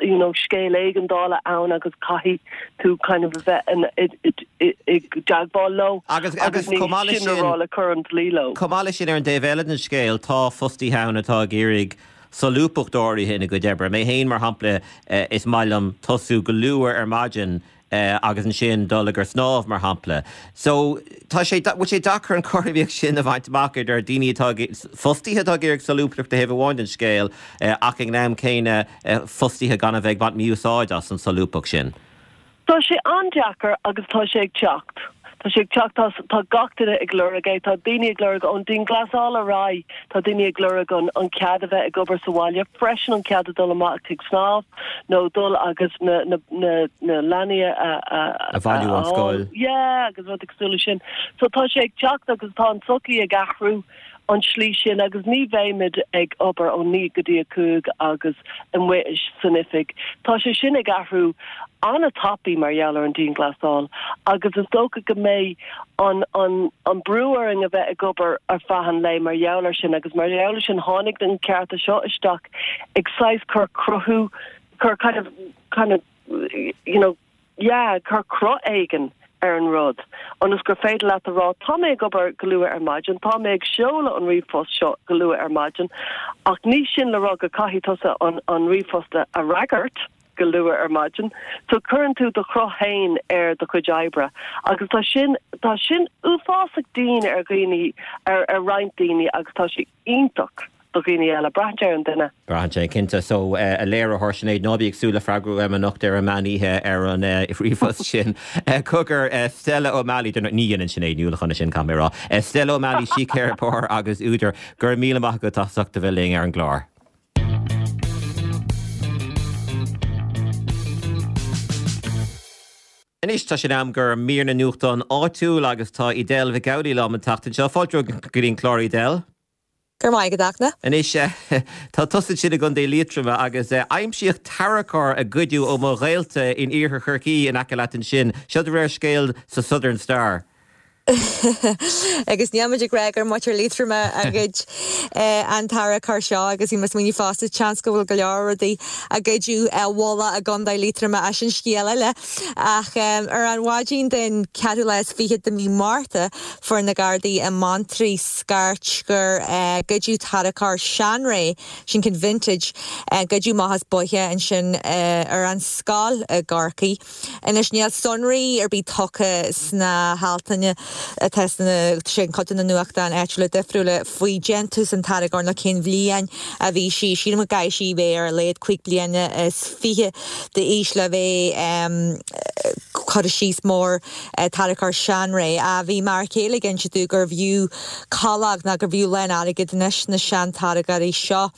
you know scéal éigeandála ann agus caithfidh tú kind of bheith i dteagmháil leo agus agus chomh maith leis sin le cur an dlí leo. Chomh maith leis sin ar an dtaobh eile den scéal tá fostaithe ann atá ag iarraidh solúbthacht áirithe ina gcuid oibre. Mé féin mar shampla eh, is maith liom tosú go luath ar maidin eh, agus ansin dul ag snámh mar shampla. So tá sé bhfuil sé deacair an chothromaíocht sin a bhaint amach idir daoine atá fostaithe atá ag iarraidh solúbthacht taobh amháin den scéal eh, ach ag an am céanna eh, fostaithe gan a bheith ag baint mí-úsáid as an solúbthacht sin. Tá sé an-deacair agus tá sé ag teacht. Tá sé ag teacht tá gach duine ag lorg é tá daoine ag lorg ón dianghlasáil ar aghaidh tá daoine ag lorg an an cead a bheith ag obair sa bhaile freisin an cead a dul amach ag snámh nó dul agus na na na na leanaí a a a bhailiú ón scoil. Yeah, agus rudaí cosúil leis sin. So tá sé ag teacht agus tá an tsochaí ag athrú an slí sin agus ní bheimid ag obair ó naoi go dtí a cúig agus amuigh san oifig. Tá sé sin ag athrú an-tapaidh mar gheall ar an dianghlasáil agus is dócha go mbeidh an an an brú orainn a bheith ag obair ar feadh an lae mar gheall air sin agus mar gheall air sin tháinig an cearta seo isteach ag saghas cur cruthú cur kind of kind of you know yeah cur cruth éigin ar an rud. Ionas gur féidir leat a rá tá mé ag obair go luath ar maidin, tá mé ag seoladh an ríomhphost seo go luath ar maidin, ach ní sin le rá go caithfidh tusa an, an ríomhphost a fhreagairt go luath ar maidin. So cuireann tú do chruth féin ar do chuid oibre. Agus tá sin tá sin uafásach dian ar dhaoine ar, ar roinnt daoine agus tá sé iontach do dhaoine eile braitheann sé ar an duine. Braitheann sé cinnte so uh, a léiritheoir Sinéad ná bí ag súil le freagra uaim anocht ar an meán oíche ar an uh, ríomhphost sin. Uh, cogar uh, Stella O'Malley ní dhéanann Sinéad Ní Uallacháin sin caithfidh mé rá. Uh, Stella O'Malley síceiripeoir agus údar go raibh míle maith agat as ucht a bheith linn ar an gclár. Anois tá sé in am do mhír na nuachtán áitiúil agus tá Edel Mhic Amhlaigh liom an tseachtain seo fáilte go dtí an clár Edel. Gur maith go dachna. Anois tá tusa ansin i gContae Liatroma agus aimsíodh tarracóir a goideadh ó mo ghaolta in iarthar Chorcaí in aice leat ansin. Seo de réir scéil sa Southern Star. Agus níl muid ag rá gur muintir Liatroma a ghoid an tarracóir seo agus bhí mé ag smaoineamh fosta seans go bhfuil go leor rudaí a goideadh i bhfolach i gContae Liatroma ach sin scéal eile. Ach ar an mhaidin den ceathrú lá is fiche de mhí Márta fuair na Gardaí i mBeanntraí scairt gur goideadh tarracóir seanré, sin ceann vintage, goideadh amach as bóiche ansin ar an scoil i gCorcaigh. Anois níl sonraí ar bith tugtha sna haltanna atá sna sin cuid de na nuachtáin áitiúla difriúla faoi déantús an tarracóir nó cén bhliain a bhí sí. Sílim go gcaithfidh sí bheith ar a laghad cúig bliana is fiche d'aois le bheith curtha síos mar tarracóir seanré. A bhí m'fhear céile ag inse domh gurbh fhiú calóg nó gurbh fhiú a lán airgid anois na sean-tarracóirí seo.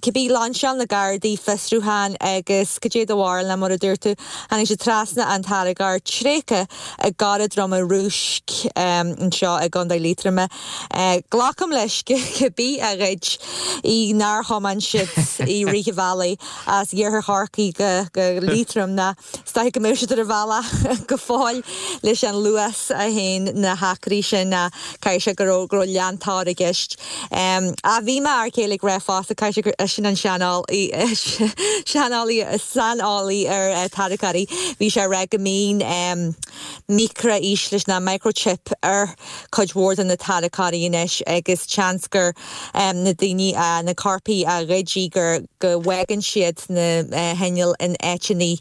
Cibé lainseáil na Gardaí fiosrúchán agus cad é do bharúil ná mar a dúirt tú, tháinig siad trasna an tarracóir tréigthe i gCora Droma Rúisc anseo i gContae Liatroma. Glacaim leis cibé a ghoid í nár thiomáin siad i rith an bhealaigh as iarthar Chorcaí go Liatroim ná is dóiche go mbeadh siad ar a bhealach go fóill leis an luas a théann na hacraí sin ná caithfidh sé go raibh go raibh leantóir i gceist. Ach bhí m'fhear céile ag rá fosta caithfidh sé gur eisean an seaneolaí seaneolaí saineolaí ar tarracóirí bhí sé ag rá go mbíonn micreafhíslis ná microchip ar cuid mhór de na tarracóirí anois agus seans gur na daoine na coirpigh a ghoid í gur go bhfágann siad na hinnill in áiteanna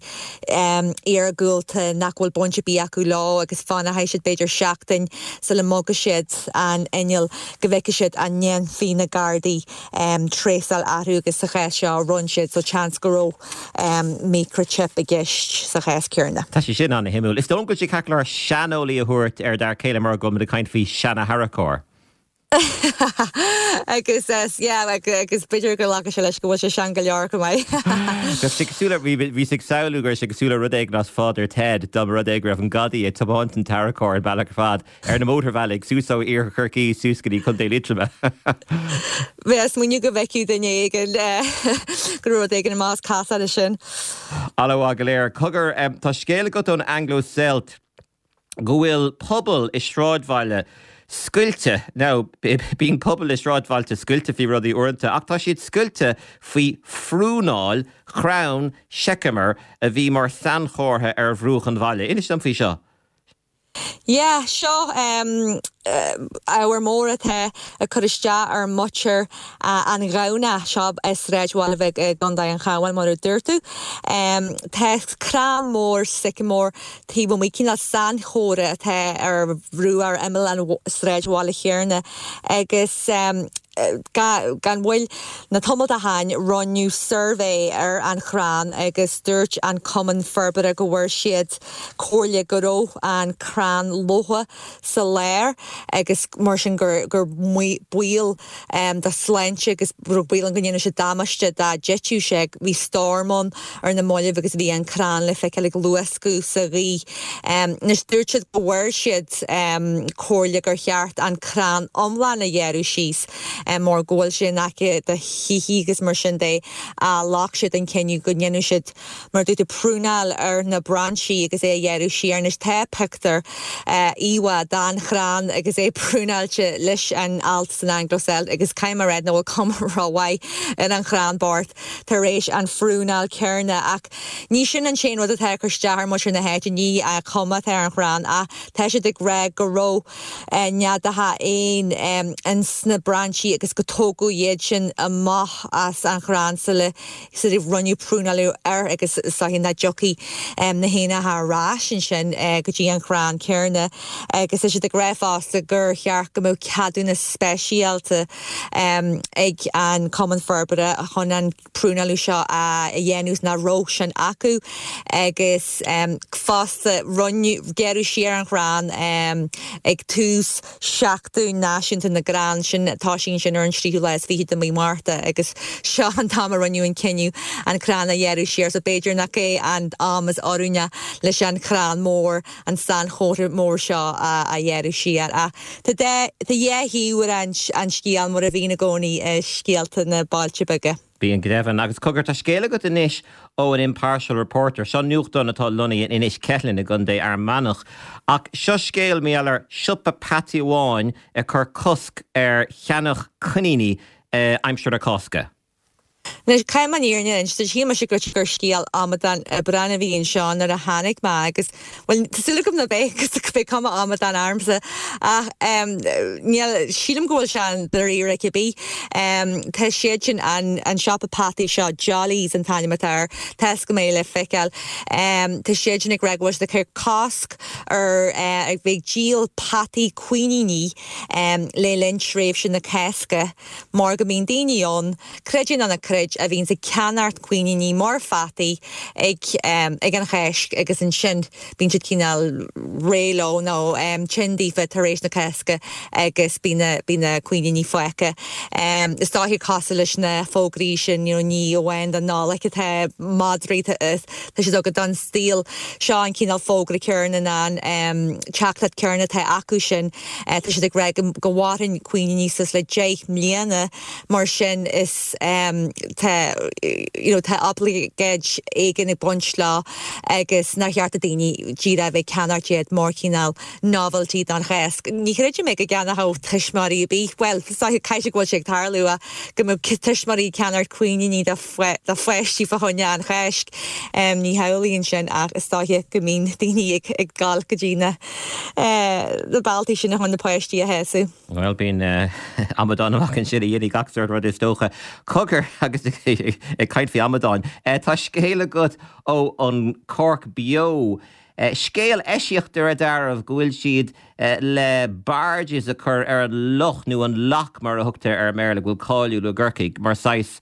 iargúlta nach bhfuil baint ar bith acu leo agus fanfaidh siad b'fhéidir seachtain sula mbogfaidh siad an inneall go bhfeicfidh siad an ndéanfaidh na Gardaí tréasáil orthu agus sa chás seo rinne siad so seans go raibh microchip i gceist sa chás céanna. Tá sé sin an-shuimiúil. Is dóigh go bhfuil sé ceart go leor seaneolaí a thabhairt ar d'fhear céile mar go bhfuil muid ag caint faoi seana-tharracóir. Agus yeah agus b'fhéidir go nglacfaidh sé leis go bhfuil sé sean go leor chomh maith. Bheadh sé cosúil le, bhíos ag samhlú go raibh sé cosúil le rud éigin as Father Ted dá mba rud é go raibh an gadaí ag tiomáint an tarracóir an bealach ar fad ar na mótarbhealaigh suas ó Iarthar Chorcaí suas go dtí Contae Liatroma. Bhí mé ag smaoineamh go bhfeicfeadh duine éigin go raibh rud éigin amach as casadh leis sin. Ana-mhaith go léir. Cogar, tá scéal agat ón Anglo-Celt go bhfuil pobal i sráidbhaile scoilte now bíonn pobal i sráidbhailte scoilte faoi rudaí uaireanta ach tá siad scoilte faoi phrúnáil chrann seiceamar a bhí mar sainchomhartha ar bhruach an bhaile. Inis dom faoi seo. Yeah, seo um, ábhar mór atá ag cur isteach ar mhuintir an Ghamhna seo i sráidbhaile bheag i gContae an Chabháin mar a dúirt tú. Tá crann mór sycamore taobh amuigh cineál sainchomhartha atá ar bhruach ar imeall an sráidbhaile chéanna agus gan mhoill na tamall ó shin rinneadh suirbhé ar an chrann agus dúirt an Cumann Forbartha go bhfuair siad comhairle go raibh an crann lofa sa lár agus mar sin gur gur baol um, dá sláinte agus raibh baol ann go ndéanfadh sé damáiste dá dtitfeadh sé bhí stoirm ann ar na mallaibh agus bhí an crann le feiceáil ag luascadh sa ghaoth. Um, Anois dúirt siad go bhfuair siad um, comhairle gur cheart an crann iomlán a ghearradh síos um, mar go bhfuil sé in aice do thithe agus mar sin de a ghlac siad an cinneadh go ndéanfadh siad mar dúirt prúnáil ar na brainsí agus é a ghearradh siar anois tá pictiúr uh, íomhá den chrann agus é prúnáilte leis an alt san Anglo-Celt agus caithfidh mé a rá nach bhfuil cuma rómhaith ar an chrann bocht tar éis an phrúnáil chéanna ach ní sin an t-aon rud atá ag cur isteach ar mhuintir na háite ní an chuma atá ar an chrann ach tá siad ag rá go raibh eh, neadacha éan ins na brainsí agus go tógadh iad sin amach as an chrann sula sula rinneadh prúnáil air agus sahi nach dtiocfaidh na héanacha ar ais ansin eh, go dtí an chrann céanna agus tá siad ag rá fosta gur cheart go mbeadh ceadúnas speisialta um, ag an Cumann Forbartha chun an prúnáil seo a dhéanamh nach raibh sin acu agus um, fosta rinneadh gearradh siar an chrann um, ag tús Seachtain Náisiúnta na gCrann sin tá sin sin ar an tríú lá is fiche de mí Márta agus seo an t-am a rinneadh an cinneadh an crann a ghearradh siar so b'fhéidir nach é an am is oiriúnaí leis an chrann mór an sainchomhartha mór seo a, a ghearradh siar a Tá dhá thaobh ar an, an scéal mar a bhíonn i gcónaí i scéalta na bailte beaga. Bíonn go deimhin agus cogar tá scéal agat anois ó an Impartial Reporter, seo nuachtán atá lonnaithe in Inis Ceithleann i gContae Fhear Manach. Ach seo scéal maidir le siopa peataí amháin ag cur cosc ar cheannach coiníní eh, aimsir na Cásca. Anois caithfidh mé an fhírinne a inse shíl mise gur gur scéal amadán oibreán a bhí anseo nuair a tháinig mé agus well tá súil agam nach b'é agus beidh cuma amadán ormsa ach um, níl sílim go bhfuil sé an dáiríre cibé. Um, tá siad sin an, an siopa peataí seo Jollies an t-ainm atá air tá go mé le feiceáil. Um, tá siad sin ag rá go bhfuil siad ag cur cosc ar uh, ag bheith díol peataí coiníní um, le linn tréimhse na Cásca mar go mbíonn daoine ann creid é nó ná creid a bhíonn ag ceannacht coiníní mar pheataí ag um, ag an Cháisc agus ansin bíonn siad cineál réidh leo nó um, tinn daofa tar éis na Cásca agus bíonn bíonn na coiníní fágtha. Um, is dóiche cosúil leis na fógraí sin you know, ní amháin don Nollaig atá madraí tá siad go don stíl seo an cineál fógra céanna an um, teachtaireacht chéanna atá acu sin uh, tá siad ag rá go go mhaireann coiníní suas le deich mbliana mar sin is um, tá you know, tá oibleagáid éigin ag baint leo agus nár cheart do dhaoine díreach bheith ag ceannacht iad mar cineál novelty don Cháisc. Ní chreidim mé go gceannódh tuismitheoirí ar bith well caithfidh go bhfuil sé ag tarlú go mbeadh tuismitheoirí ag ceannacht coiníní do pháistí fá choinne an Cháisc. Um, ní hamhlaíonn sin ach is dóiche go mbíonn daoine ag ag dul go dtí na uh, na bealtaí sin chun na páistí a shásamh. Well bíonn uh, amadán amach ansin a dhéanfaidh gach sórt rud is dócha. Cogar agus ag caint faoi amadáin. Uh, tá scéal agat ó an Cork Beo. Uh, scéal eisceacht ar a dearbh go bhfuil siad uh, le barges a chur ar an loch nó an loch mar a thugtar ar Bhéarla go bhfuil cáiliúil i gCorcaigh mar saghas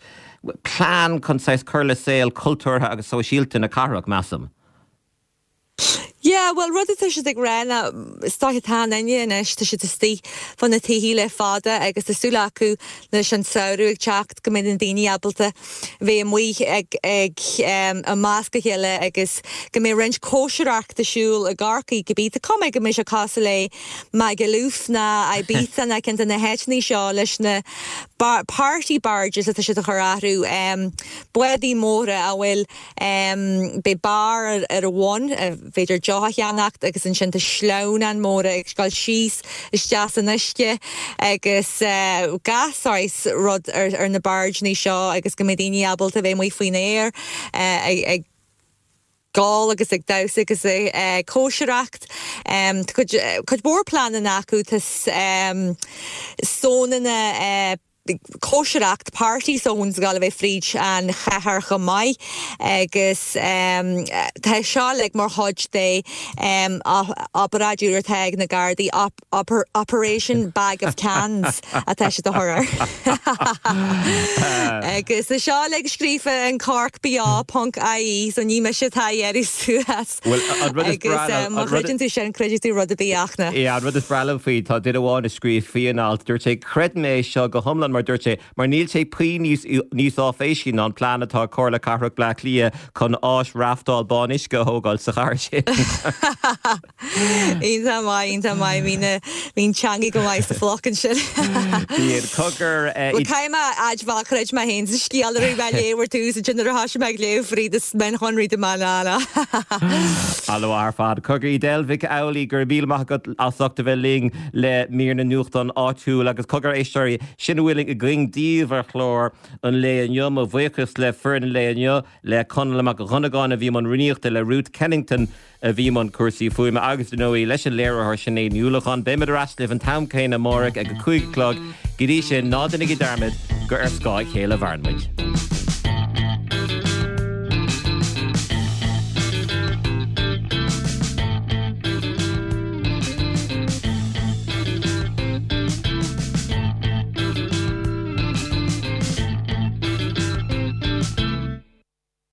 plean chun saghas cur le saol cultúrtha agus sóisialta na cathrach measaim. Yeah, well rud atá siad ag rá ná is dóiche tá inne anois tá siad istigh fá na tithe le fada agus tá súil acu leis an samhradh ag teacht go mbeidh na daoine ábalta bheith amuigh ag ag um, i measc a chéile agus go mbeidh roinnt cóisireachta ar siúl i gCorcaigh go bí tá go mbeidh sé cosúil le Magaluf ná Ibiza na ceann de na háiteanna seo leis na bar party barges atá siad a chur orthu um, bádaí móra a bhfuil um, beidh bar ar, ar a bhun, féidir seo a cheannacht agus ansin tá sleamhnáin móra ag dul síos isteach san uisce agus gach saghas rud ar ar na bargeanna seo agus go mbeidh daoine ábalta bheith amuigh faoin aer ag ag ól agus ag damhsa agus ag cóisireacht. Tá cuid cuid mhór pleananna acu tá zónanna cóisireacht party zones ag gabháil a bheith fríd an chathair chomh maith agus tá seo uilig mar chuid de obráid úr atá ag na Gardaí Operation Bag of Cans atá siad a chur air. Agus tá seo uilig scríofa in Cork Beo ponc ie so ní mise atá á iarraidh suas agus má chreideann tú sin creidfidh tú rud ar bith ach na. Yeah, an rud is breá liom faoi tá duine amháin a scríobh faoi an alt dúirt sé creidim é seo go hiomlán mar dúirt sé mar níl sé puinn níos níos áiféisí ná an plean atá ag Comhairle Cathrach Bleá Cliath chun áis raftáil bán uisce a thógáil sa chathair sin. Iontach maith, iontach maith, bhí na bhí an teangaidh go maith sa phluc ansin. Bíonn cogar Bhuel caithfidh mé a admháil chreid mé féin sa scéal a raibh mé ag léamh ar tús ansin nuair a thoisigh mé ag léamh fríd is mionshonraí de mé ná ná. An-mhaith ar fad. Cogar Edel Mhic Amhlaigh go raibh míle maith agat as ucht a bheith linn le mír na nuachtán áitiúil agus cogar éisteoirí sin a bhfuil againn daoibh ar chlár an lae inniu. Mo bhuíochas le foireann an lae inniu, le Conall Mac Dhonnagáin a bhí i mbun rúnaíochta, le Ruth Kennington a bhí i mbun cúrsaí fuaime agus, dar ndóigh, leis an léiritheoir Sinéad Ní Uallacháin. Beimid ar ais libh an t-am céanna amárach ag a cúig a chlog. Go dtí sin, ná déanaigí dearmad gur ar scáth a chéile a mhaireann muid.